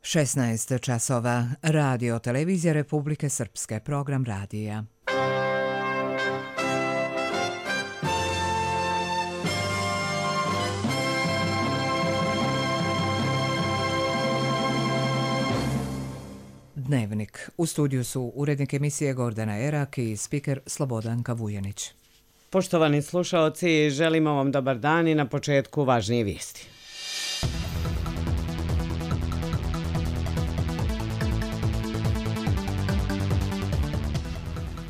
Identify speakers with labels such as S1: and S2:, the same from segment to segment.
S1: 16 časova. Radio Televizija Republike Srpske. Program radija. Dnevnik. U studiju su urednik emisije Gordana Erak i spiker Slobodanka Vujanić.
S2: Poštovani slušaoci, želimo vam dobar dan i na početku važnije vijesti.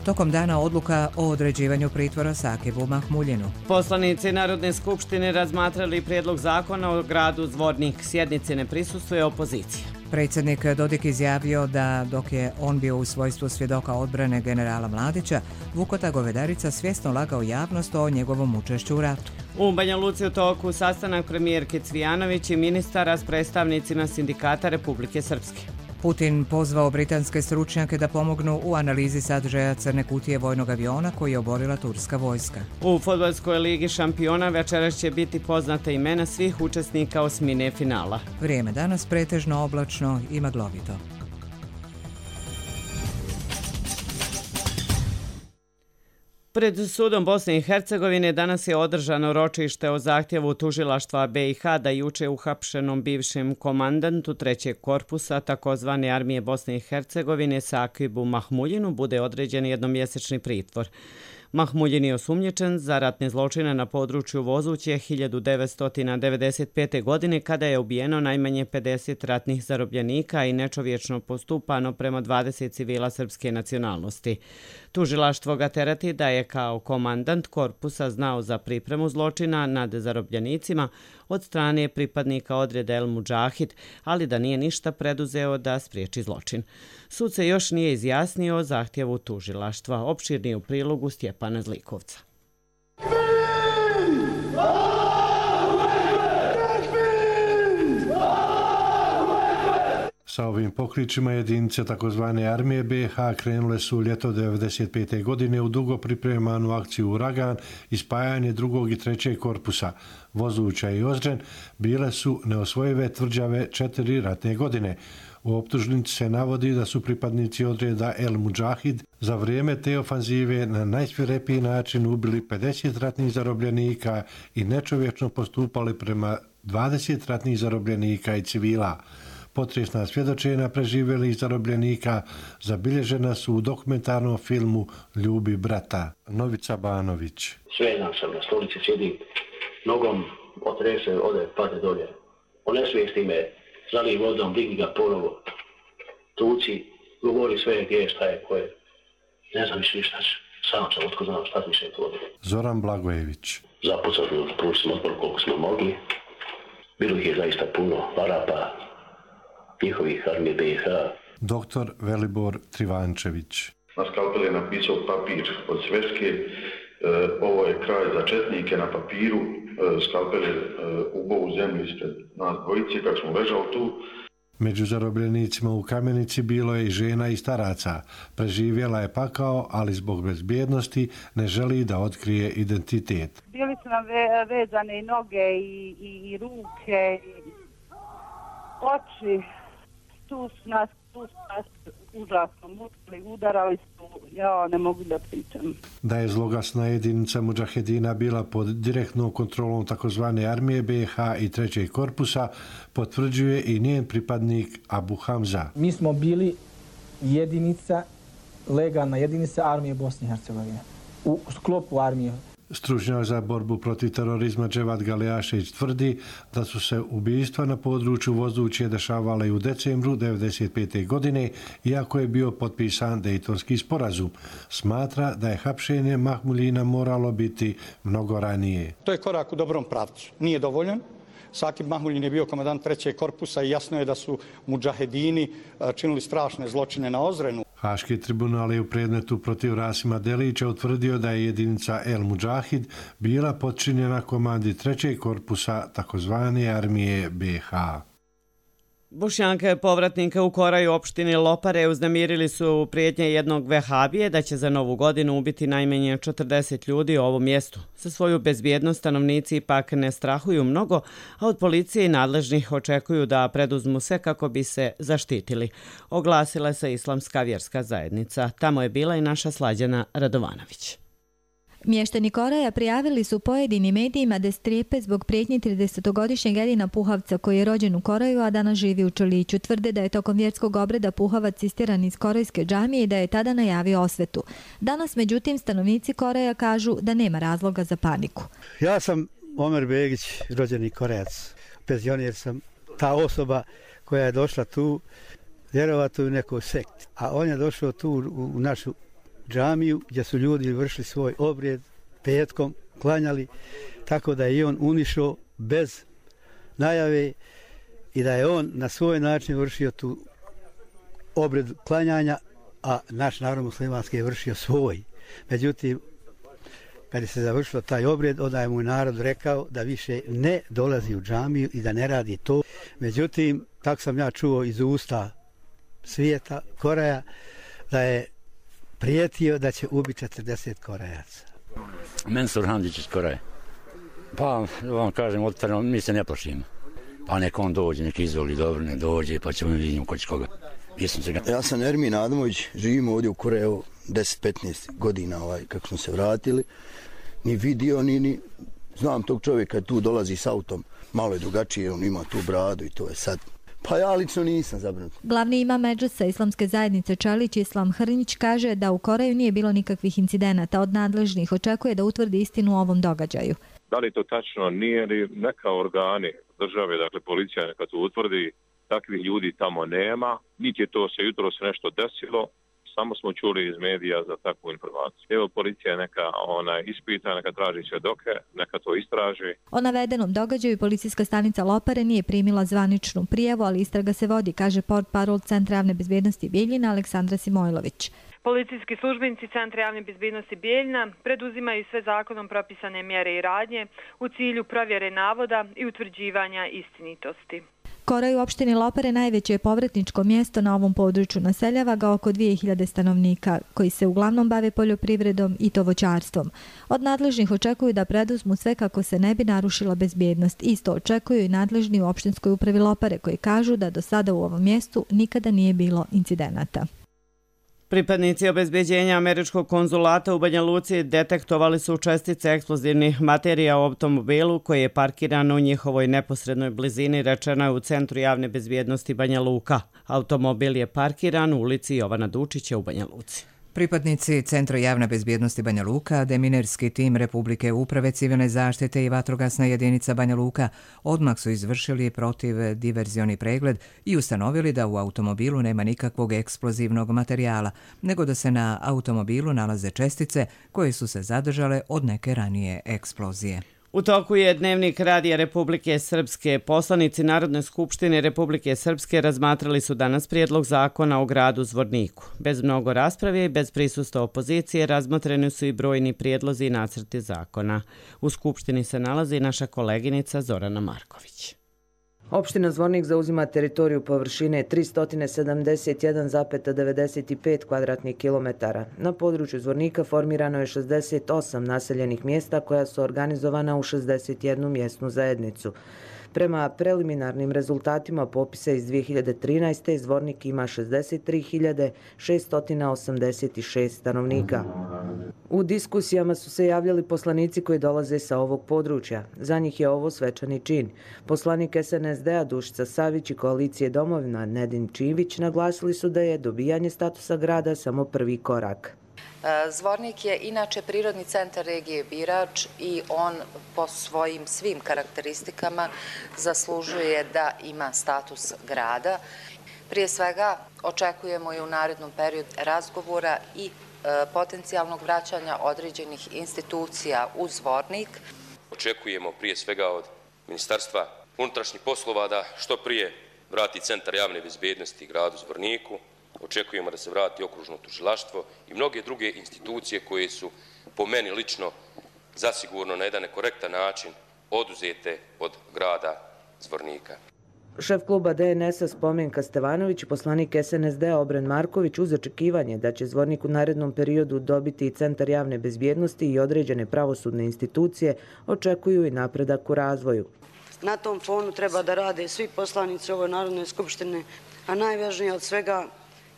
S1: Tokom dana odluka o određivanju pritvora Sakibu Mahmuljinu.
S2: Poslanici Narodne skupštine razmatrali prijedlog zakona o gradu Zvornik. Sjednici ne prisustvuje opozicija.
S1: Predsjednik Dodik izjavio da dok je on bio u svojstvu svjedoka odbrane generala Mladića, Vukota Govedarica svjesno lagao javnost o njegovom učešću u ratu.
S2: U Banja Luci u toku sastanak premijerke Cvijanović i ministara s predstavnicima sindikata Republike Srpske.
S1: Putin pozvao britanske stručnjake da pomognu u analizi sadržaja crne kutije vojnog aviona koji je oborila turska vojska.
S2: U fudbalskoj ligi šampiona večeras će biti poznata imena svih učesnika osmine finala.
S1: Vrijeme danas pretežno oblačno i maglovito.
S2: Pred sudom Bosne i Hercegovine danas je održano ročište o zahtjevu tužilaštva BiH da juče uhapšenom bivšem komandantu trećeg korpusa takozvane armije Bosne i Hercegovine Sakibu Mahmuljinu bude određen jednomjesečni pritvor. Mahmuljin je osumnjičen za ratne zločine na području Vozuće 1995. godine kada je ubijeno najmanje 50 ratnih zarobljenika i nečovječno postupano prema 20 civila srpske nacionalnosti. Tužilaštvo ga tereti da je kao komandant korpusa znao za pripremu zločina nad zarobljenicima od strane pripadnika odreda El Mudžahid, ali da nije ništa preduzeo da spriječi zločin. Sud se još nije izjasnio o zahtjevu tužilaštva. Opširnije u prilogu Stjepana Zlikovca.
S3: Sa ovim pokrićima jedinice takozvane armije BiH krenule su ljeto 1995. godine u dugo pripremanu akciju Uragan i spajanje drugog i trećeg korpusa. Vozuća i Ozren bile su neosvojive tvrđave 4 ratne godine. U optužnici se navodi da su pripadnici odreda El Mudžahid za vrijeme te ofanzive na najsvirepiji način ubili 50 ratnih zarobljenika i nečovječno postupali prema 20 ratnih zarobljenika i civila. Potresna svjedočenja preživjelih zarobljenika zabilježena su u dokumentarnom filmu Ljubi brata. Novica Banović.
S4: Svedan sam na stolici, sjedim, nogom otrese, ode, pade dolje. Onesvijesti me, zali vodom, digni ga ponovo. Tuci, govori sve gdje je, šta je, ko je. Ne znam više ništa, sam sam otko znam šta više je to.
S3: Zoran Blagojević.
S4: Zapucali smo, prošli smo otpor koliko smo mogli. Bilo ih je zaista puno, Arapa, njihovih armije BiH.
S3: Doktor Velibor Trivančević.
S5: Na skalpel je napisao papir od sveške, ovo je kraj za četnike na papiru, skalpel je ubao u zemlju ispred nas dvojice kako smo ležali tu.
S3: Među zarobljenicima u Kamenici bilo je i žena i staraca. Preživjela je pakao, ali zbog bezbjednosti ne želi da otkrije identitet.
S6: Bili su nam vezane i noge i ruke, i oči, tu su nas užasno mučili, udarali su, ja ne mogu da pričam.
S3: Da je zloglasna jedinica Mudžahedina bila pod direktnom kontrolom takozvane armije BiH i trećeg korpusa, potvrđuje i njen pripadnik Abu Hamza.
S7: Mi smo bili jedinica, legalna jedinica armije Bosne i Hercegovine. U sklopu armije.
S3: Stručnjak za borbu protiv terorizma Dževad Galejašević tvrdi da su se ubijstva na području Vozuće dešavale i u decembru 1995. godine, iako je bio potpisan Dejtonski sporazum. Smatra da je hapšenje Mahmuljina moralo biti mnogo ranije.
S8: To je korak u dobrom pravcu. Nije dovoljan. Sakib Mahmuljin je bio komandant trećeg korpusa i jasno je da su mudžahedini činili strašne zločine na Ozrenu.
S3: Haški tribunal je u predmetu protiv Rasima Delića utvrdio da je jedinica El Mudžahid bila podčinjena komandi trećeg korpusa takozvane armije BiH.
S2: Bošnjake povratnika u Koraju opštini Lopare uznemirili su prijetnje jednog vehabije da će za Novu godinu ubiti najmanje 40 ljudi u ovom mjestu. Za svoju bezbjednost stanovnici ipak ne strahuju mnogo, a od policije i nadležnih očekuju da preduzmu sve kako bi se zaštitili. Oglasila se Islamska vjerska zajednica. Tamo je bila i naša Slađana Radovanović.
S9: Mještani Koraja prijavili su pojedinim medijima da strepe zbog prijetnje 30-godišnjeg Edina Puhavca koji je rođen u Koraju, a danas živi u Čoliću. Tvrde da je tokom vjerskog obreda Puhavac istjeran iz korejske džamije i da je tada najavio osvetu. Danas, međutim, stanovnici Koraja kažu da nema razloga za paniku.
S10: Ja sam Omer Begić, rođeni Korejac. Penzioner sam. Ta osoba koja je došla tu, vjerovatno u nekoj sekti. A on je došao tu u našu džamiju gdje su ljudi vršili svoj obred petkom, klanjali, tako da je on unišao bez najave i da je on na svoj način vršio tu obred klanjanja, a naš narod muslimanski je vršio svoj. Međutim, kad je se završilo taj obred, onda je mu narod rekao da više ne dolazi u džamiju i da ne radi to. Međutim, tako sam ja čuo iz usta svijeta, Koraja, da je prijetio da će ubiti 40 Korejaca.
S11: Mensur Handić iz Koreje. Pa, vam kažem, otvoreno, mi se ne plašimo. Pa nek on dođe, nek izvoli dobro, nek dođe, pa ćemo vidjeti ko će koga.
S12: Ja sam Ermin Adamović, živimo ovdje u Koreju 10-15 godina kako smo se vratili. Ni vidio, ni znam tog čovjeka tu dolazi s autom, malo je drugačije, on ima tu bradu i to je sad. Pa ja lično nisam zabrinut.
S9: Glavni imam Medžlisa Islamske zajednice Čalić Islam Hrnić kaže da u Koreju nije bilo nikakvih incidenata. Od nadležnih očekuje da utvrdi istinu o ovom događaju.
S13: Da li to tačno nije li neka organi države, dakle policija neka to utvrdi, takvih ljudi tamo nema, niti je to se jutros nešto desilo, samo smo čuli iz medija za takvu informaciju. Evo policija neka ispita, neka traži svjedoke, neka to istraži.
S9: O navedenom događaju policijska stanica Lopare nije primila zvaničnu prijavu, ali istraga se vodi, kaže portparol Centra javne bezbjednosti Bijeljina Aleksandra Simojlović.
S14: Policijski službenici Centra javne bezbjednosti Bijeljina preduzimaju sve zakonom propisane mjere i radnje u cilju provjere navoda i utvrđivanja istinitosti.
S9: Koraj u opštini Lopare najveće je povratničko mjesto na ovom području. Naseljava ga oko 2000 stanovnika koji se uglavnom bave poljoprivredom i to voćarstvom. Od nadležnih očekuju da preduzmu sve kako se ne bi narušila bezbjednost. Isto očekuju i nadležni u opštinskoj upravi Lopare koji kažu da do sada u ovom mjestu nikada nije bilo incidenata.
S2: Pripadnici obezbeđenja američkog konzulata u Banja Luci detektovali su čestice eksplozivnih materija u automobilu koji je parkiran u njihovoj neposrednoj blizini, rečeno je u Centru javne bezbjednosti Banja Luka. Automobil je parkiran u ulici Jovana Dučića u Banja Luci.
S1: Pripadnici Centra javne bezbjednosti Banja Luka, deminerski tim Republike uprave civilne zaštite i vatrogasna jedinica Banja Luka odmah su izvršili protivdiverzioni pregled i ustanovili da u automobilu nema nikakvog eksplozivnog materijala, nego da se na automobilu nalaze čestice koje su se zadržale od neke ranije eksplozije.
S2: U toku je Dnevnik Radija Republike Srpske. Poslanici Narodne skupštine Republike Srpske razmatrali su danas prijedlog zakona o gradu Zvorniku. Bez mnogo rasprave i bez prisustva opozicije razmotreni su i brojni prijedlozi i nacrti zakona. U skupštini se nalazi naša koleginica Zorana Marković.
S15: Opština Zvornik zauzima teritoriju površine 371,95 kvadratnih kilometara. Na području Zvornika formirano je 68 naseljenih mjesta koja su organizovana u 61 mjesnu zajednicu. Prema preliminarnim rezultatima popisa iz 2013. Zvornik ima 63.686 stanovnika. U diskusijama su se javljali poslanici koji dolaze sa ovog područja. Za njih je ovo svečani čin. Poslanik SNSD-a Dušica Savić i koalicije Domovina Nedin Čivić naglasili su da je dobijanje statusa grada samo prvi korak.
S16: Zvornik je inače prirodni centar regije Birač i on po svojim svim karakteristikama zaslužuje da ima status grada. Prije svega očekujemo i u narednom periodu razgovora i potencijalnog vraćanja određenih institucija u Zvornik.
S17: Očekujemo prije svega od Ministarstva unutrašnjih poslova da što prije vrati Centar javne bezbjednosti gradu Zvorniku. Očekujemo da se vrati okružno tužilaštvo i mnoge druge institucije koje su po meni lično zasigurno na jedan nekorektan način oduzete od grada Zvornika.
S15: Šef kluba DNS-a Spomenka Stevanović i poslanik SNSD-a Obren Marković uz očekivanje da će Zvornik u narednom periodu dobiti i Centar javne bezbjednosti i određene pravosudne institucije očekuju i napredak u razvoju.
S18: Na tom fonu treba da rade svi poslanici ovoj Narodnoj skupštini, a najvažnije od svega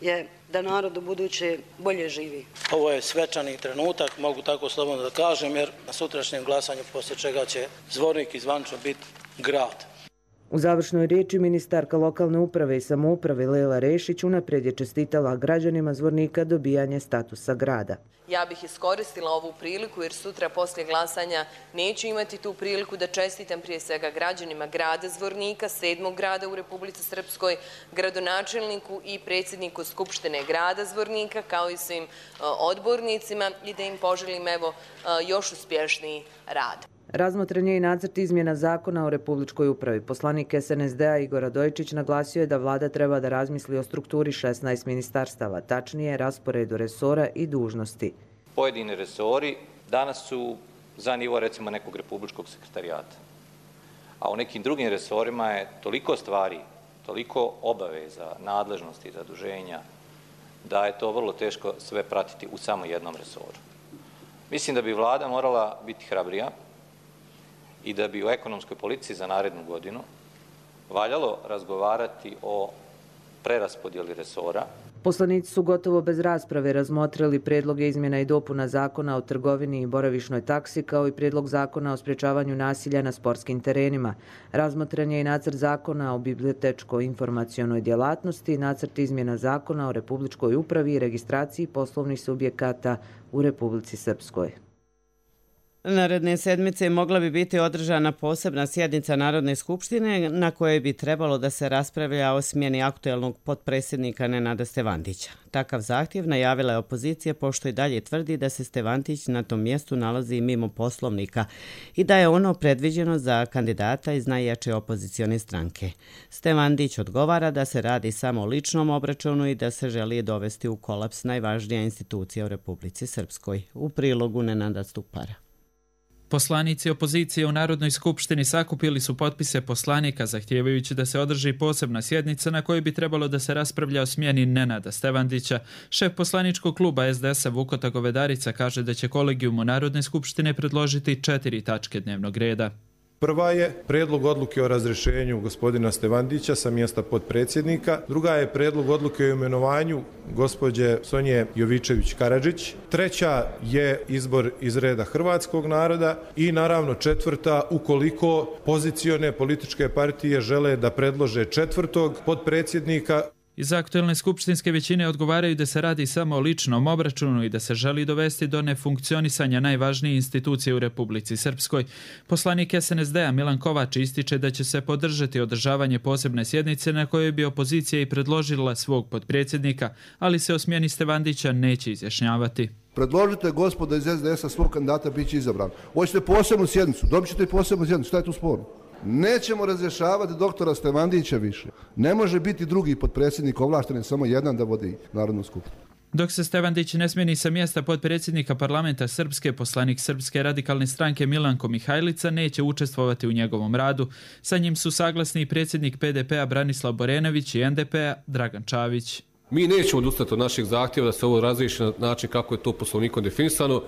S18: je da narod u buduće bolje živi.
S19: Ovo je svečani trenutak, mogu tako slobodno da kažem, jer na sutrašnjem glasanju poslije čega će Zvornik i zvančno biti grad.
S15: U završnoj riječi ministarka lokalne uprave i samouprave Lela Rešić unaprijed je čestitala građanima Zvornika dobijanje statusa grada.
S20: Ja bih iskoristila ovu priliku jer sutra poslije glasanja neću imati tu priliku da čestitam prije svega građanima grada Zvornika, 7. grada u Republici Srpskoj, gradonačelniku i predsjedniku Skupštine grada Zvornika kao i svim odbornicima i da im poželim još uspješniji rad.
S15: Razmotren je i nacrt izmjena zakona o Republičkoj upravi. Poslanik SNSD-a Igor Radojičić naglasio je da vlada treba da razmisli o strukturi 16 ministarstava, tačnije rasporedu resora i dužnosti.
S21: Pojedini resori danas su za nivo recimo nekog republičkog sekretarijata, a u nekim drugim resorima je toliko stvari, toliko obaveza, nadležnosti i zaduženja da je to vrlo teško sve pratiti u samo jednom resoru. Mislim da bi vlada morala biti hrabrija i da bi u ekonomskoj politici za narednu godinu valjalo razgovarati o preraspodjeli resora.
S15: Poslanici su gotovo bez rasprave razmotrili prijedloge izmjena i dopuna zakona o trgovini i boravišnoj taksi kao i prijedlog zakona o sprječavanju nasilja na sportskim terenima. Razmotren je i nacrt zakona o bibliotečko-informacionoj djelatnosti, nacrt izmjena zakona o Republičkoj upravi i registraciji poslovnih subjekata u Republici Srpskoj.
S2: Naredne sedmice mogla bi biti održana posebna sjednica Narodne skupštine na kojoj bi trebalo da se raspravlja o smjeni aktuelnog potpredsjednika Nenada Stevandića. Takav zahtjev najavila je opozicija pošto i dalje tvrdi da se Stevandić na tom mjestu nalazi mimo poslovnika i da je ono predviđeno za kandidata iz najjače opozicione stranke. Stevandić odgovara da se radi samo o ličnom obračunu i da se želi dovesti u kolaps najvažnija institucija u Republici Srpskoj. U prilogu Nenada Stupara.
S22: Poslanici opozicije u Narodnoj skupštini sakupili su potpise poslanika zahtijevajući da se održi posebna sjednica na kojoj bi trebalo da se raspravlja o smjeni Nenada Stevandića. Šef poslaničkog kluba SDS-a Vukota Govedarica kaže da će kolegijumu Narodne skupštine predložiti 4 tačke dnevnog reda.
S23: Prva je predlog odluke o razrješenju gospodina Stevandića sa mjesta potpredsjednika. Druga je predlog odluke o imenovanju gospođe Sonje Jovičević-Karadžić. Treća je izbor iz reda hrvatskog naroda. I naravno četvrta, ukoliko pozicione političke partije žele da predlože 4. potpredsjednika.
S22: Iz aktuelne skupštinske većine odgovaraju da se radi samo o ličnom obračunu i da se želi dovesti do nefunkcionisanja najvažnije institucije u Republici Srpskoj. Poslanik SNSD-a Milan Kovač ističe da će se podržati održavanje posebne sjednice na kojoj bi opozicija i predložila svog potpredsjednika, ali se o smjeni Stevandića neće izjašnjavati.
S24: Predložite gospoda iz SDS-a svog kandidata, bit će izabran. Hoćete posebnu sjednicu, dobit ćete posebnu sjednicu, šta je tu sporno? Nećemo razrješavati doktora Stevandića više. Ne može biti drugi potpredsjednik ovlašten, samo jedan da vodi Narodnu skupštinu.
S22: Dok se Stevandić ne smjeni sa mjesta potpredsjednika parlamenta Srpske, poslanik Srpske radikalne stranke Milanko Mihajlica neće učestvovati u njegovom radu. Sa njim su saglasni i predsjednik PDP-a Branislav Borenović i NDP-a Dragan Čavić.
S25: Mi nećemo odustati od naših zahtjeva da se ovo razriješi na način kako je to poslovnikom definisano.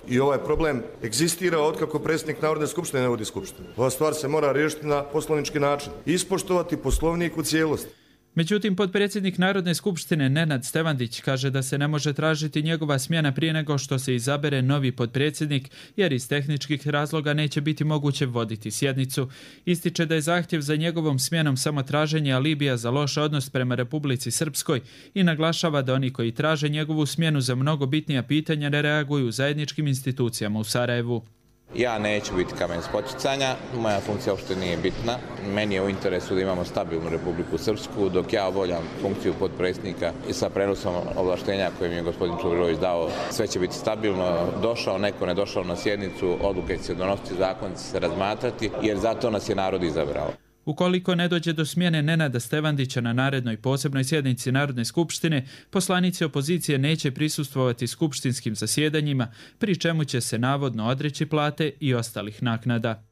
S26: I ovaj problem egzistira otkako predsjednik Narodne skupštine ne vodi skupštinu. Ova stvar se mora riješiti na poslovnički način. Ispoštovati poslovnik u cijelosti.
S22: Međutim, potpredsjednik Narodne skupštine Nenad Stevandić kaže da se ne može tražiti njegova smjena prije nego što se izabere novi potpredsjednik, jer iz tehničkih razloga neće biti moguće voditi sjednicu. Ističe da je zahtjev za njegovom smjenom samo traženje alibija za loš odnos prema Republici Srpskoj i naglašava da oni koji traže njegovu smjenu za mnogo bitnija pitanja ne reaguju u zajedničkim institucijama u Sarajevu.
S27: Ja neću biti kamen spoticanja, moja funkcija uopšte nije bitna. Meni je u interesu da imamo stabilnu Republiku Srpsku, dok ja obavljam funkciju potpredsjednika i sa prenosom ovlaštenja koje mi je gospodin Čubrilović dao, sve će biti stabilno. Došao neko, ne došao na sjednicu, odluke će se donositi, zakon će se razmatrati, jer zato nas je narod izabrao.
S22: Ukoliko ne dođe do smjene Nenada Stevandića na narednoj posebnoj sjednici Narodne skupštine, poslanici opozicije neće prisustvovati skupštinskim zasjedanjima, pri čemu će se navodno odreći plate i ostalih naknada.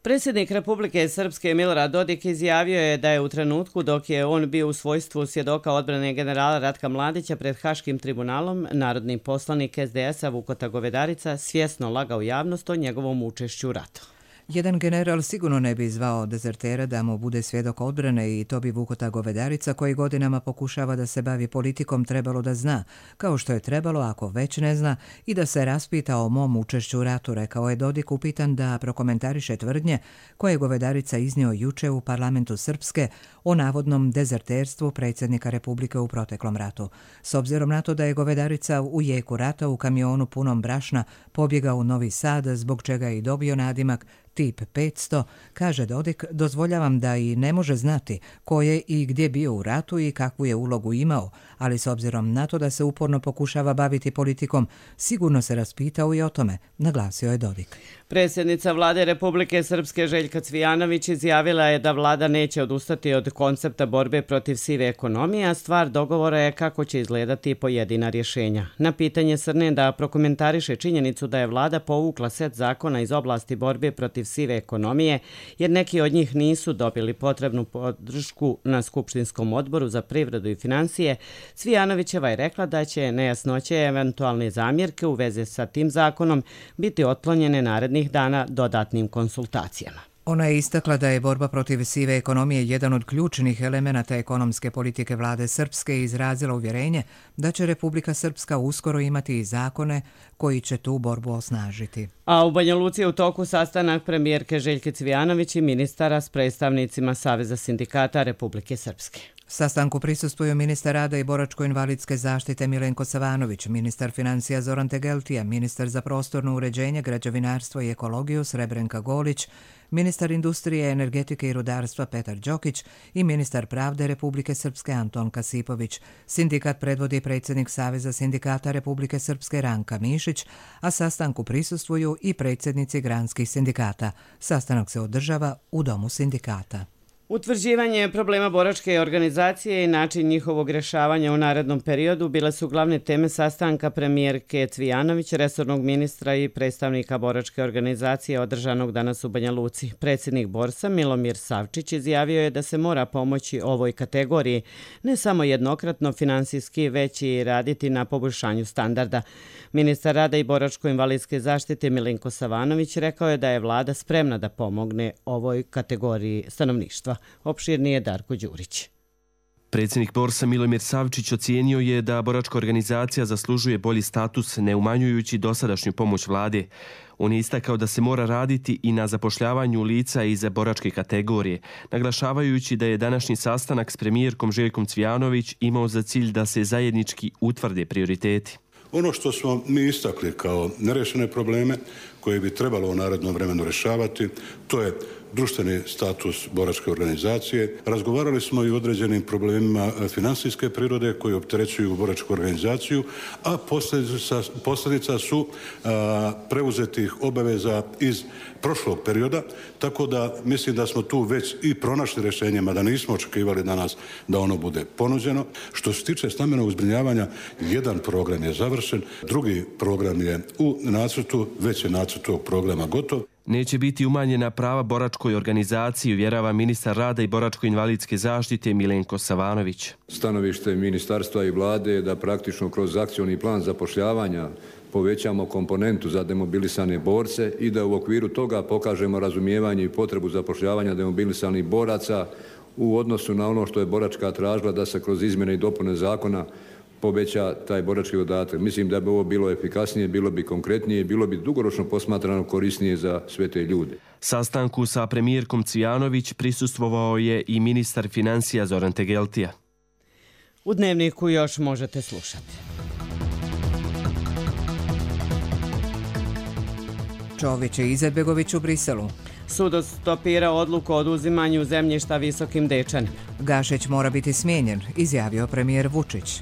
S2: Predsjednik Republike Srpske Milorad Dodik izjavio je da je u trenutku dok je on bio u svojstvu svjedoka odbrane generala Ratka Mladića pred Haškim tribunalom, narodni poslanik SDS-a Vukota Govedarica svjesno lagao javnost o njegovom učešću u ratu.
S1: Jedan general sigurno ne bi zvao dezertera da mu bude svjedok odbrane i to bi Vukota Govedarica, koji godinama pokušava da se bavi politikom, trebalo da zna, kao što je trebalo, ako već ne zna, i da se raspita o mom učešću u ratu, rekao je Dodik, upitan da prokomentariše tvrdnje koje je Govedarica iznio juče u parlamentu Srpske o navodnom dezerterstvu predsjednika Republike u proteklom ratu. S obzirom na to da je Govedarica u jeku rata u kamionu punom brašna pobjegao u Novi Sad, zbog čega je i dobio nadimak tip 500, kaže Dodik, dozvoljavam da i ne može znati ko je i gdje bio u ratu i kakvu je ulogu imao, ali s obzirom na to da se uporno pokušava baviti politikom, sigurno se raspitao i o tome, naglasio je Dodik.
S2: Predsjednica vlade Republike Srpske Željka Cvijanović izjavila je da vlada neće odustati od koncepta borbe protiv sive ekonomije, a stvar dogovora je kako će izgledati pojedina rješenja. Na pitanje Srne da prokomentariše činjenicu da je vlada povukla set zakona iz oblasti borbe protiv sive ekonomije, jer neki od njih nisu dobili potrebnu podršku na Skupštinskom odboru za privredu i financije, Cvijanovićeva je rekla da će nejasnoće i eventualne zamjerke u vezi sa tim zakonom biti otklonjene narednih dana dodatnim konsultacijama.
S1: Ona je istakla da je borba protiv sive ekonomije jedan od ključnih elemenata ekonomske politike vlade Srpske i izrazila uvjerenje da će Republika Srpska uskoro imati i zakone koji će tu borbu osnažiti.
S2: A u Banja Luci je u toku sastanak premijerke Željke Cvijanović i ministara s predstavnicima Saveza sindikata Republike Srpske.
S1: Sastanku prisustvuju ministar rada i boračko-invalidske zaštite Milenko Savanović, ministar financija Zoran Tegeltija, ministar za prostorno uređenje, građevinarstvo i ekologiju Srebrenka Golić, ministar industrije, energetike i rudarstva Petar Đokić i ministar pravde Republike Srpske Anton Kasipović. Sindikat predvodi predsjednik Saveza sindikata Republike Srpske Ranka Mišić, a sastanku prisustvuju i predsjednici granskih sindikata. Sastanak se održava u Domu sindikata.
S2: Utvrđivanje problema boračke organizacije i način njihovog rješavanja u narednom periodu bile su glavne teme sastanka premijerke Cvijanović, resornog ministra i predstavnika boračke organizacije održanog danas u Banja Luci. Predsjednik Borsa Milomir Savčić izjavio je da se mora pomoći ovoj kategoriji, ne samo jednokratno finansijski, već i raditi na poboljšanju standarda. Ministar rada i boračko-invalidske zaštite Milenko Savanović rekao je da je vlada spremna da pomogne ovoj kategoriji stanovništva. Opširnije Darko Đurić.
S3: Predsjednik Borsa Milomir Savčić ocijenio je da boračka organizacija zaslužuje bolji status, ne umanjujući dosadašnju pomoć vlade. On je istakao da se mora raditi i na zapošljavanju lica iz boračke kategorije, naglašavajući da je današnji sastanak s premijerkom Željkom Cvijanović imao za cilj da se zajednički utvrde prioriteti.
S4: Ono što smo mi istakli kao nerešene probleme koje bi trebalo u narednom vremenu rješavati, to je društveni status boračke organizacije. Razgovarali smo i o određenim problemima finansijske prirode koji opterećuju boračku organizaciju, a posljedica su preuzetih obaveza iz prošlog perioda, tako da mislim da smo tu već i pronašli rješenjima, da nismo očekivali danas da ono bude ponuđeno. Što se tiče stambenog zbrinjavanja, jedan program je završen, drugi program je u nacrtu, već je nacrt tog programa gotov.
S3: Neće biti umanjena prava boračkoj organizaciji, uvjerava ministar rada i boračko-invalidske zaštite Milenko Savanović.
S5: Stanovište ministarstva i vlade je da praktično kroz akcioni plan zapošljavanja povećamo komponentu za demobilisane borce i da u okviru toga pokažemo razumijevanje i potrebu zapošljavanja demobilisanih boraca u odnosu na ono što je boračka tražila da se kroz izmjene i dopune zakona poveća taj borački dodatak. Mislim da bi ovo bilo efikasnije, bilo bi konkretnije, bilo bi dugoročno posmatrano korisnije za sve te ljude.
S3: Sastanku sa premijerkom Cvijanović prisustvovao je i ministar financija Zoran Tegeltija.
S2: U Dnevniku još možete slušati.
S1: Čović i Izetbegović u Briselu.
S2: Sud stopira odluku o oduzimanju zemljišta Visokim Dečanima.
S1: Gašić mora biti smijenjen, izjavio premijer Vučić.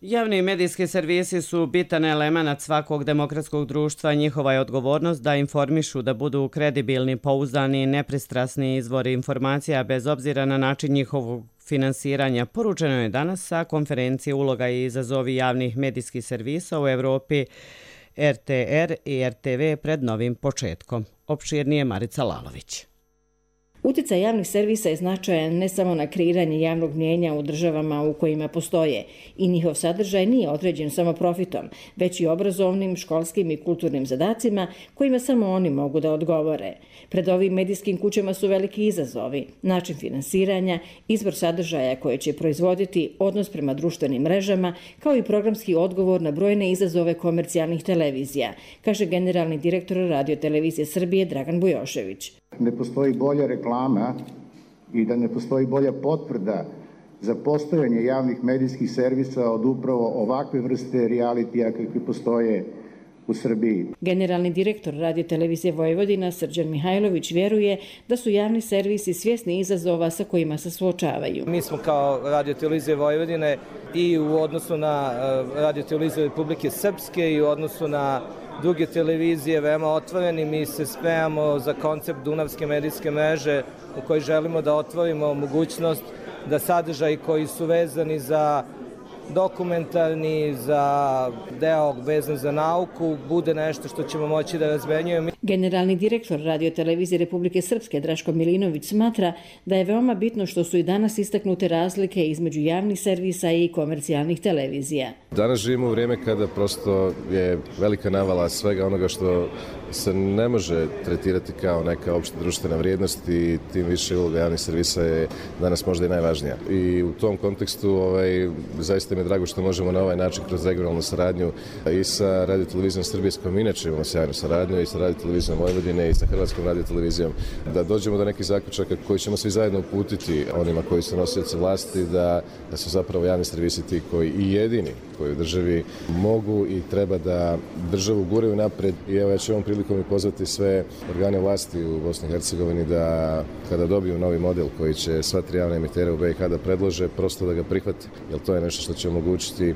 S2: Javni medijski servisi su bitan element svakog demokratskog društva. Njihova je odgovornost da informišu, da budu kredibilni, pouzdani i nepristrasni izvori informacija bez obzira na način njihovog finansiranja. Poručeno je danas sa konferencije Uloga i izazovi javnih medijskih servisa u Evropi RTR i RTV pred novim početkom. Opširnije Marica Lalović.
S6: Utjecaj javnih servisa je značajan ne samo na kreiranje javnog mnijenja u državama u kojima postoje i njihov sadržaj nije određen samo profitom, već i obrazovnim, školskim i kulturnim zadacima kojima samo oni mogu da odgovore. Pred ovim medijskim kućama su veliki izazovi, način finansiranja, izbor sadržaja koje će proizvoditi, odnos prema društvenim mrežama, kao i programski odgovor na brojne izazove komercijalnih televizija, kaže generalni direktor Radio Televizije Srbije Dragan Bujošević.
S7: Ne postoji bolja reklama i da ne postoji bolja potvrda za postojanje javnih medijskih servisa od upravo ovakve vrste realitija kakvi postoje u Srbiji.
S6: Generalni direktor Radio Televizije Vojvodina Srđan Mihajlović vjeruje da su javni servisi svjesni izazova sa kojima se suočavaju.
S8: Mi smo kao Radio Televizije Vojvodine i u odnosu na Radio Televiziju Republike Srpske i u odnosu na druge televizije veoma otvoreni. Mi se spremamo za koncept Dunavske medijske mreže u kojoj želimo da otvorimo mogućnost da sadržaji koji su vezani za dokumentarni, za deo vezan za nauku, bude nešto što ćemo moći da razmenjujemo.
S6: Generalni direktor Radio Televizije Republike Srpske Draško Milinović smatra da je veoma bitno što su i danas istaknute razlike između javnih servisa i komercijalnih televizija.
S10: Danas živimo u vrijeme kada prosto je velika navala svega onoga što se ne može tretirati kao neka opšta društvena vrijednost i tim više uloga javnih servisa je danas možda i najvažnija. I u tom kontekstu zaista mi je drago što možemo na ovaj način kroz regionalnu saradnju i sa Radio Televizijom Srbije s kojom inače imamo sjajnu saradnju i sa Radio Televizijom Vojvodine i sa Hrvatskom Radio Televizijom da dođemo do nekih zaključaka koji ćemo svi zajedno uputiti onima koji su nosioci vlasti da su zapravo javni servisi ti koji i jedini koji u državi mogu i treba da državu guraju napred. I evo ja ću ovom prilikom i pozvati sve organe vlasti u Bosni i Hercegovini da kada dobiju novi model koji će sva tri javna emitera u BiH da predlože, prosto da ga prihvati, jer to je nešto što će omogućiti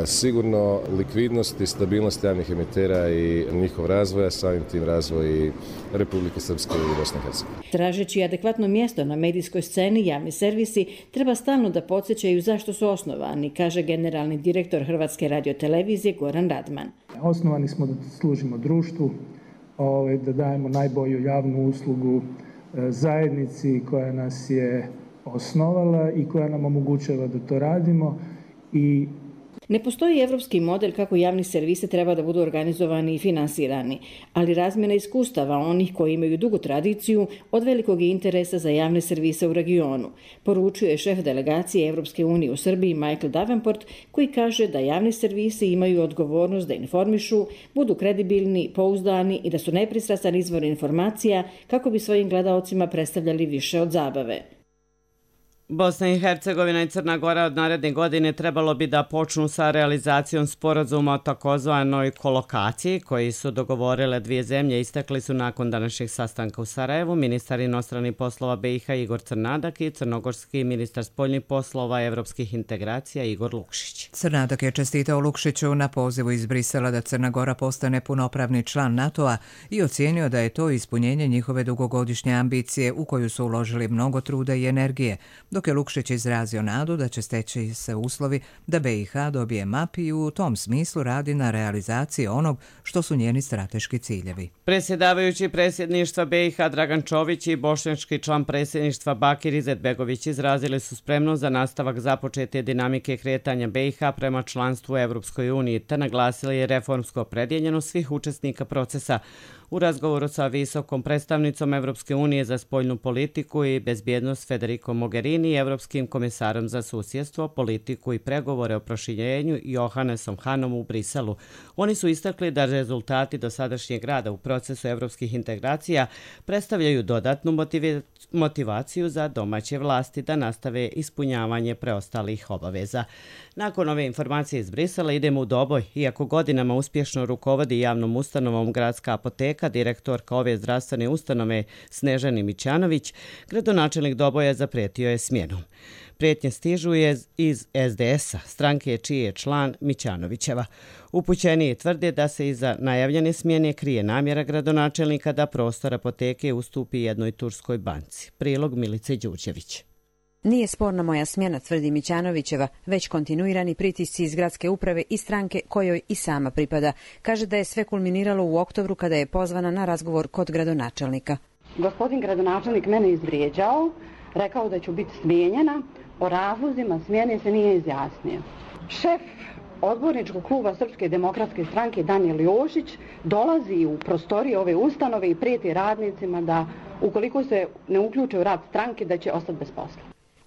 S10: sigurno likvidnost i stabilnost javnih emitera i njihov razvoj, a samim tim razvoj i Republike Srpske i Bosne i Hercegovine.
S6: Tražeći adekvatno mjesto na medijskoj sceni, javni servisi treba stalno da podsjećaju zašto su osnovani, kaže generalni direktor Hrvatske radiotelevizije Goran Radman.
S11: Osnovani smo da služimo društvu, da dajemo najbolju javnu uslugu zajednici koja nas je osnovala i koja nam omogućava da to radimo i
S6: ne postoji evropski model kako javni servisi treba da budu organizovani i finansirani, ali razmjena iskustava onih koji imaju dugu tradiciju od velikog interesa za javne servise u regionu, poručuje šef delegacije Evropske unije u Srbiji Michael Davenport, koji kaže da javni servisi imaju odgovornost da informišu, budu kredibilni, pouzdani i da su nepristrasan izvor informacija kako bi svojim gledaocima predstavljali više od zabave.
S2: Bosna i Hercegovina i Crna Gora od naredne godine trebalo bi da počnu sa realizacijom sporazuma o takozvanoj kolokaciji koji su dogovorile dvije zemlje, istakli su nakon današnjeg sastanka u Sarajevu ministar inostranih poslova BiH Igor Crnadak i crnogorski ministar spoljnih poslova evropskih integracija Igor Lukšić.
S1: Crnadak je čestitao Lukšiću na pozivu iz Brisela da Crna Gora postane punopravni član NATO-a i ocijenio da je to ispunjenje njihove dugogodišnje ambicije u koju su uložili mnogo truda i energije, dok je Lukšić izrazio nadu da će steći se uslovi da BiH dobije MAP i u tom smislu radi na realizaciji onog što su njeni strateški ciljevi.
S2: Predsjedavajući predsjedništva BiH Dragan Čović i bošnjački član predsjedništva Bakir Izetbegović izrazili su spremnost za nastavak započete dinamike kretanja BiH prema članstvu u Evropskoj uniji, te naglasili je reformsku opredjeljenost svih učesnika procesa. U razgovoru sa visokom predstavnicom Evropske unije za spoljnu politiku i bezbjednost Federico Mogherini i Evropskim komisarom za susjedstvo, politiku i pregovore o proširenju Johannesom Hanom u Briselu. Oni su istakli da rezultati dosadašnjeg rada u procesu evropskih integracija predstavljaju dodatnu motivaciju za domaće vlasti da nastave ispunjavanje preostalih obaveza. Nakon ove informacije iz Brisela idemo u Doboj. Iako godinama uspješno rukovodi javnom ustanovom Gradska apoteka, direktorka ove zdravstvene ustanove Snežani Mićanović, gradonačelnik Doboja zaprijetio je smjenom. Prijetnje stižu iz SDS-a, stranke čiji je član Mićanovićeva. Upućeniji tvrde da se iza najavljene smjene krije namjera gradonačelnika da prostor apoteke ustupi jednoj turskoj banci. Prilog Milice Đurđević.
S9: Nije sporna moja smjena, tvrdi Mićanovićeva, već kontinuirani pritisci iz gradske uprave i stranke kojoj i sama pripada. Kaže da je sve kulminiralo u oktobru kada je pozvana na razgovor kod gradonačelnika.
S12: Gospodin gradonačelnik mene izvrijeđao, rekao da ću biti smijenjena, o razlozima smjene se nije izjasnio. Šef odborničkog kluba Srpske demokratske stranke Danijel Jošić dolazi u prostorije ove ustanove i prijeti radnicima da ukoliko se ne uključe u rad stranke da će ostati bez posla.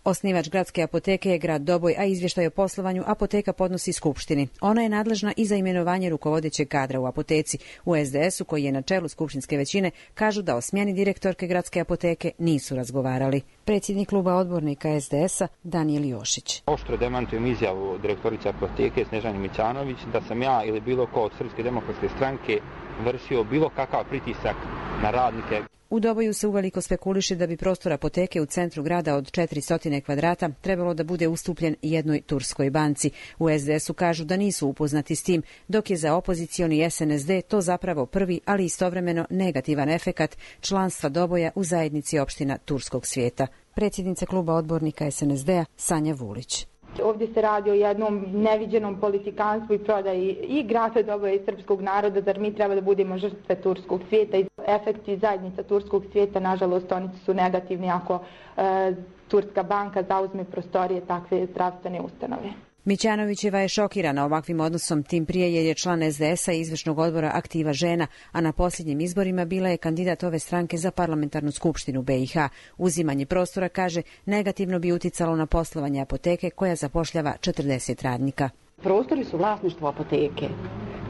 S9: Osnivač gradske apoteke je grad Doboj, a izvještaj o poslovanju apoteka podnosi Skupštini. Ona je nadležna i za imenovanje rukovodećeg kadra u apoteci. U SDS-u, koji je na čelu skupštinske većine, kažu da o smjeni direktorke gradske apoteke nisu razgovarali. Predsjednik kluba odbornika SDS-a Danijel Jošić.
S13: Oštro demantujem izjavu direktorice apoteke Snežane Mićanović da sam ja ili bilo ko od Srpske demokratske stranke vršio bilo kakav pritisak na radnike.
S9: U Doboju se uveliko spekuliše da bi prostor apoteke u centru grada od 400 kvadrata trebalo da bude ustupljen jednoj turskoj banci. U SDS-u kažu da nisu upoznati s tim, dok je za opozicioni SNSD to zapravo prvi, ali istovremeno negativan efekat članstva Doboja u zajednici opština turskog svijeta. Predsjednica kluba odbornika SNSD-a Sanja Vulić.
S14: Ovdje se radi o jednom neviđenom politikanstvu i prodaji i grada Doboja i srpskog naroda, zar mi treba da budemo žrtve turskog svijeta i efekti zajednica turskog svijeta, nažalost, oni su negativni ako turska banka zauzme prostorije takve zdravstvene ustanove.
S9: Mićanovićeva je šokirana ovakvim odnosom, tim prije jer je član SDS-a i izvršnog odbora Aktiva žena, a na posljednjim izborima bila je kandidat ove stranke za parlamentarnu skupštinu BiH. Uzimanje prostora, kaže, negativno bi uticalo na poslovanje apoteke koja zapošljava 40 radnika.
S12: Prostori su vlasništvo apoteke,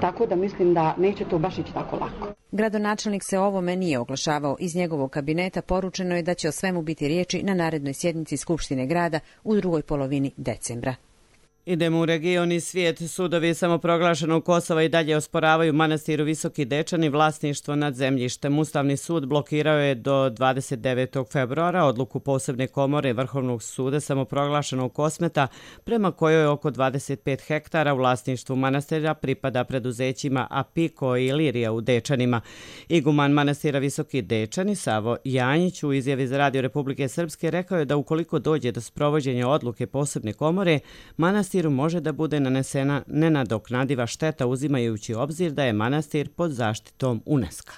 S12: tako da mislim da neće to baš ići tako lako.
S9: Gradonačelnik se o ovome nije oglašavao. Iz njegovog kabineta poručeno je da će o svemu biti riječi na narednoj sjednici Skupštine grada u drugoj polovini decembra.
S2: Idemo u region i svijet. Sudovi samoproglašenog Kosova i dalje osporavaju manastiru Visoki Dečani vlasništvo nad zemljištem. Ustavni sud blokirao je do 29. februara odluku posebne komore Vrhovnog suda samoproglašenog Kosmeta, prema kojoj oko 25 hektara u vlasništvu manastira pripada preduzećima Apiko i Ilirija u Dečanima. Iguman manastira Visoki Dečani Savo Janjić u izjavi za Radio Republike Srpske rekao je da ukoliko dođe do sprovođenja odluke posebne komore, manastiru može da bude nanesena nenadoknadiva šteta uzimajući obzir da je manastir pod zaštitom UNESCO-a.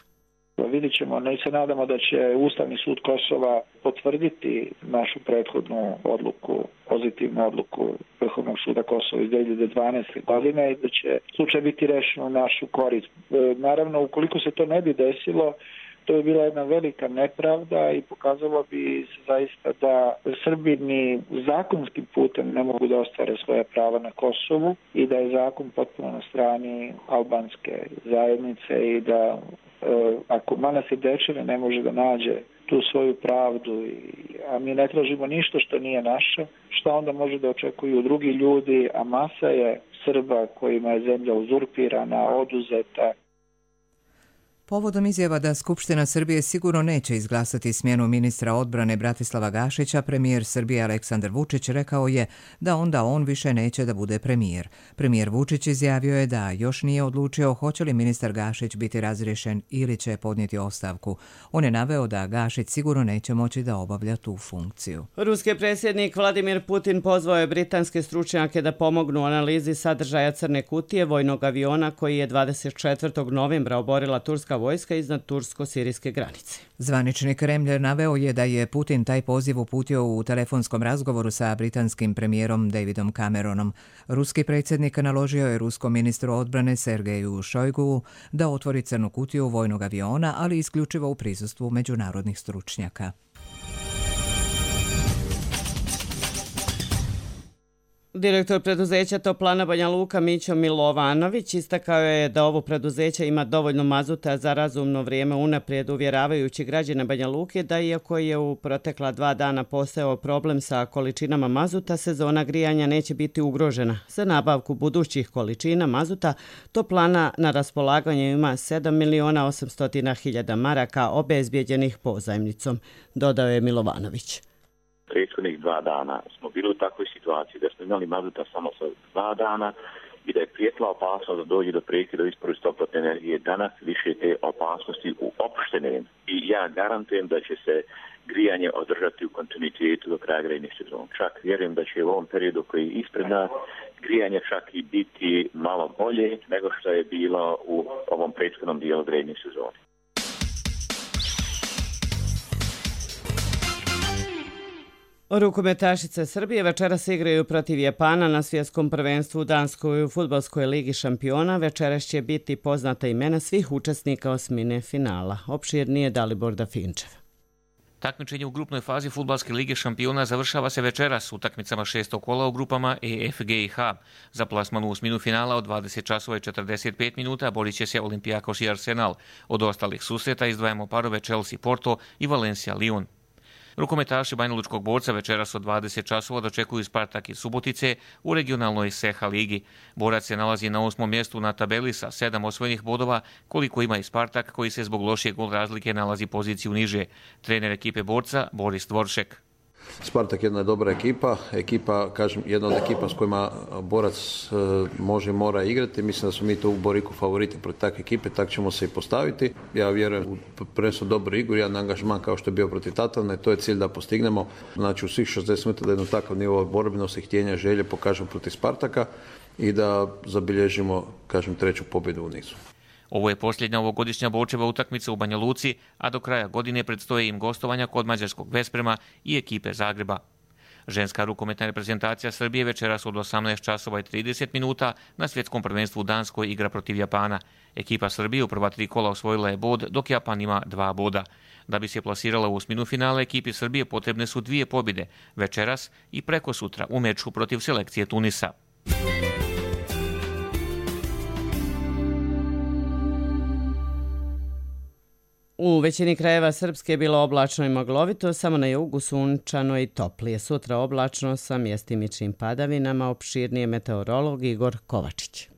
S16: Vidjet ćemo, ne se nadamo da će Ustavni sud Kosova potvrditi našu prethodnu odluku, pozitivnu odluku Vrhovnog suda Kosova iz 2012. godine i da će slučaj biti rešen u našu korist. Naravno, ukoliko se to ne bi desilo, to je bila jedna velika nepravda i pokazalo bi se zaista da Srbi ni zakonskim putem ne mogu da ostvare svoje prava na Kosovu i da je zakon potpuno na strani albanske zajednice i da ako manastir Dečani ne može da nađe tu svoju pravdu, a mi ne tražimo ništa što nije naše, šta onda može da očekuju drugi ljudi, a masa je Srba kojima je zemlja uzurpirana, oduzeta.
S1: Povodom izjava da Skupština Srbije sigurno neće izglasati smjenu ministra odbrane Bratislava Gašića, premijer Srbije Aleksandar Vučić rekao je da onda on više neće da bude premijer. Premijer Vučić izjavio je da još nije odlučio hoće li ministar Gašić biti razriješen ili će podnijeti ostavku. On je naveo da Gašić sigurno neće moći da obavlja tu funkciju.
S2: Ruski predsjednik Vladimir Putin pozvao je britanske stručnjake da pomognu u analizi sadržaja crne kutije vojnog aviona koji je 24. novembra oborila turska vojska iznad tursko-sirijske granice.
S1: Zvanični Kremlj naveo je da je Putin taj poziv uputio u telefonskom razgovoru sa britanskim premijerom Davidom Cameronom. Ruski predsjednik naložio je ruskom ministru odbrane Sergeju Šojguvu da otvori crnu kutiju vojnog aviona, ali isključivo u prisustvu međunarodnih stručnjaka.
S2: Direktor preduzeća Toplana Banja Luka Mićo Milovanović istakao je da ovo preduzeće ima dovoljno mazuta za razumno vrijeme unaprijed, uvjeravajući građane Banja Luke da iako je u protekla 2 dana postojao problem sa količinama mazuta, sezona grijanja neće biti ugrožena. Za nabavku budućih količina mazuta Toplana na raspolaganju ima 7.800.000 maraka obezbijeđenih pozajmnicom, dodao je Milovanović.
S17: Prethodnih 2 dana smo bili u takvoj situaciji da smo imali mazuta samo sa 2 dana
S15: i da je prijetila opasnost da dođe do prekida isporuke toplotne energije. Danas više te opasnosti uopšte nema. I ja garantujem da će se grijanje održati u kontinuitetu do kraja grejnih sezona. Čak vjerujem da će u ovom periodu koji je ispred nas grijanje čak i biti malo bolje nego što je bilo u ovom prethodnom dijelu grejnih sezona.
S2: Rukometašice Srbije večeras igraju protiv Japana na svjetskom prvenstvu u Danskoj u fudbalskoj ligi šampiona. Večeras će biti poznata imena svih učesnika osmine finala. Opširnije Dalibor Dafinčev.
S17: Takmičenje u grupnoj fazi fudbalske lige šampiona završava se večeras utakmicama 6. kola u grupama E, F, G i H. Za plasman u osminu finala od 20 časova i 45 minuta borit će se Olympiakos i Arsenal. Od ostalih susreta izdvajamo parove Chelsea Porto i Valencia Lyon. Rukometaši Banjalučkog Borca večeras od 20 časova dočekuju Spartak iz Subotice u regionalnoj SEHA ligi. Borac se nalazi na 8. mjestu na tabeli sa 7 osvojenih bodova, koliko ima i Spartak koji se zbog lošije gol razlike nalazi poziciju niže. Trener ekipe Borca Boris Dvoršek.
S18: Spartak je jedna dobra ekipa, kažem, jedna od ekipa s kojima Borac mora igrati. Mislim da smo mi to u Boriku favoriti protiv takve ekipe, tako ćemo se i postaviti. Ja vjerujem u prvenstveno dobru igru, jedan angažman kao što je bio protiv Tatavne, to je cilj da postignemo. Znači u svih 60 minuta da jedno takav nivo borbenosti, htjenja, želje pokažemo protiv Spartaka i da zabilježimo, kažem, 3. pobjedu u nizu.
S17: Ovo je posljednja ovogodišnja Borčeva utakmica u Banja Luci, a do kraja godine predstoje im gostovanja kod mađarskog Vesprema i ekipe Zagreba. Ženska rukometna reprezentacija Srbije večeras od 18 časova i 30 minuta na svjetskom prvenstvu u Danskoj igra protiv Japana. Ekipa Srbije u prva 3 kola osvojila je bod, dok Japan ima 2 boda. Da bi se plasirala u osminu finala, ekipi Srbije potrebne su 2 pobjede, večeras i preko sutra u meču protiv selekcije Tunisa.
S2: U većini krajeva Srpske je bilo oblačno i maglovito, samo na jugu sunčano i toplije. Sutra oblačno sa mjestimičnim padavinama, opširnije meteorolog Igor Kovačić.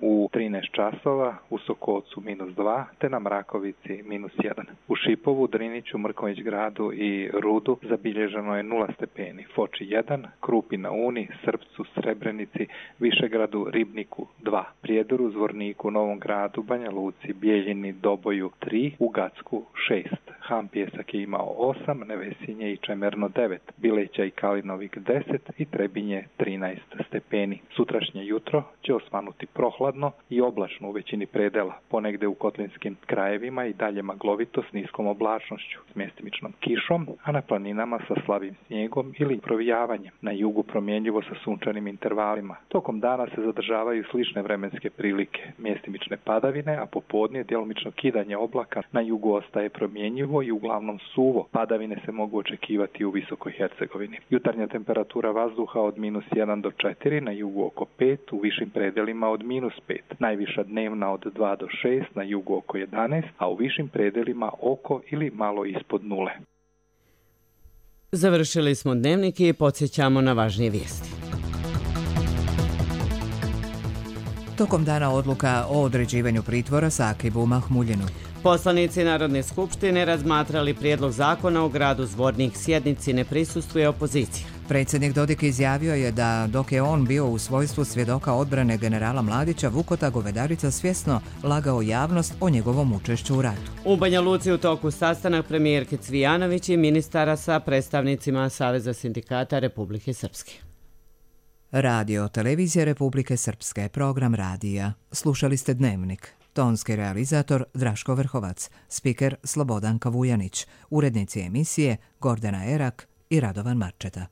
S19: U 13 časova, u Sokocu -2, te na Mrakovici -1. U Šipovu, Driniću, Mrkonjić gradu i Rudu zabilježeno je 0 stepeni. Foči 1, Krupi na Uni, Srpcu, Srebrenici, Višegradu, Ribniku 2, Prijedoru, Zvorniku, Novom gradu, Banja Luci, Bijeljini, Doboju 3, u Gacku 6. Ham Pjesak je imao 8, Nevesinje i Čemerno 9, Bileća i Kalinovik 10 i Trebinje 13 stepeni. Sutrašnje jutro će osvanuti prohladno i oblačno u većini predela, ponegde u kotlinskim krajevima i dalje maglovito s niskom oblačnošću, s mjestimičnom kišom, a na planinama sa slabim snijegom ili provijavanjem. Na jugu promjenjivo sa sunčanim intervalima. Tokom dana se zadržavaju slične vremenske prilike, mjestimične padavine, a popodne djelomično kidanje oblaka. Na jugu ostaje promjenjivo i uglavnom suvo. Padavine se mogu očekivati u Visokoj Hercegovini. Jutarnja temperatura vazduha od -1 do 4, na jugu oko 5, u višim predelima od -5. Najviša dnevna od 2 do 6, na jugu oko 11, a u višim predelima oko ili malo ispod 0.
S2: Završili smo dnevnik i podsjećamo na važnije vijesti.
S1: Tokom dana odluka o određivanju pritvora Sakibu Mahmuljinu.
S2: Poslanici Narodne skupštine razmatrali prijedlog zakona o gradu Zvornik. Sjednici ne prisustvuje opozicija.
S1: Predsjednik Dodik izjavio je da dok je on bio u svojstvu svjedoka odbrane generala Mladića, Vukota Govedarica svjesno lagao javnost o njegovom učešću u ratu.
S2: U Banja Luci u toku sastanak premijerke Cvijanović i ministara sa predstavnicima Saveza sindikata Republike Srpske.
S1: Radio Televizija Republike Srpske, program radija. Slušali ste Dnevnik. Tonski realizator Draško Vrhovac, spiker Slobodan Kavujanić, urednici emisije Gordana Erak i Radovan Marčeta.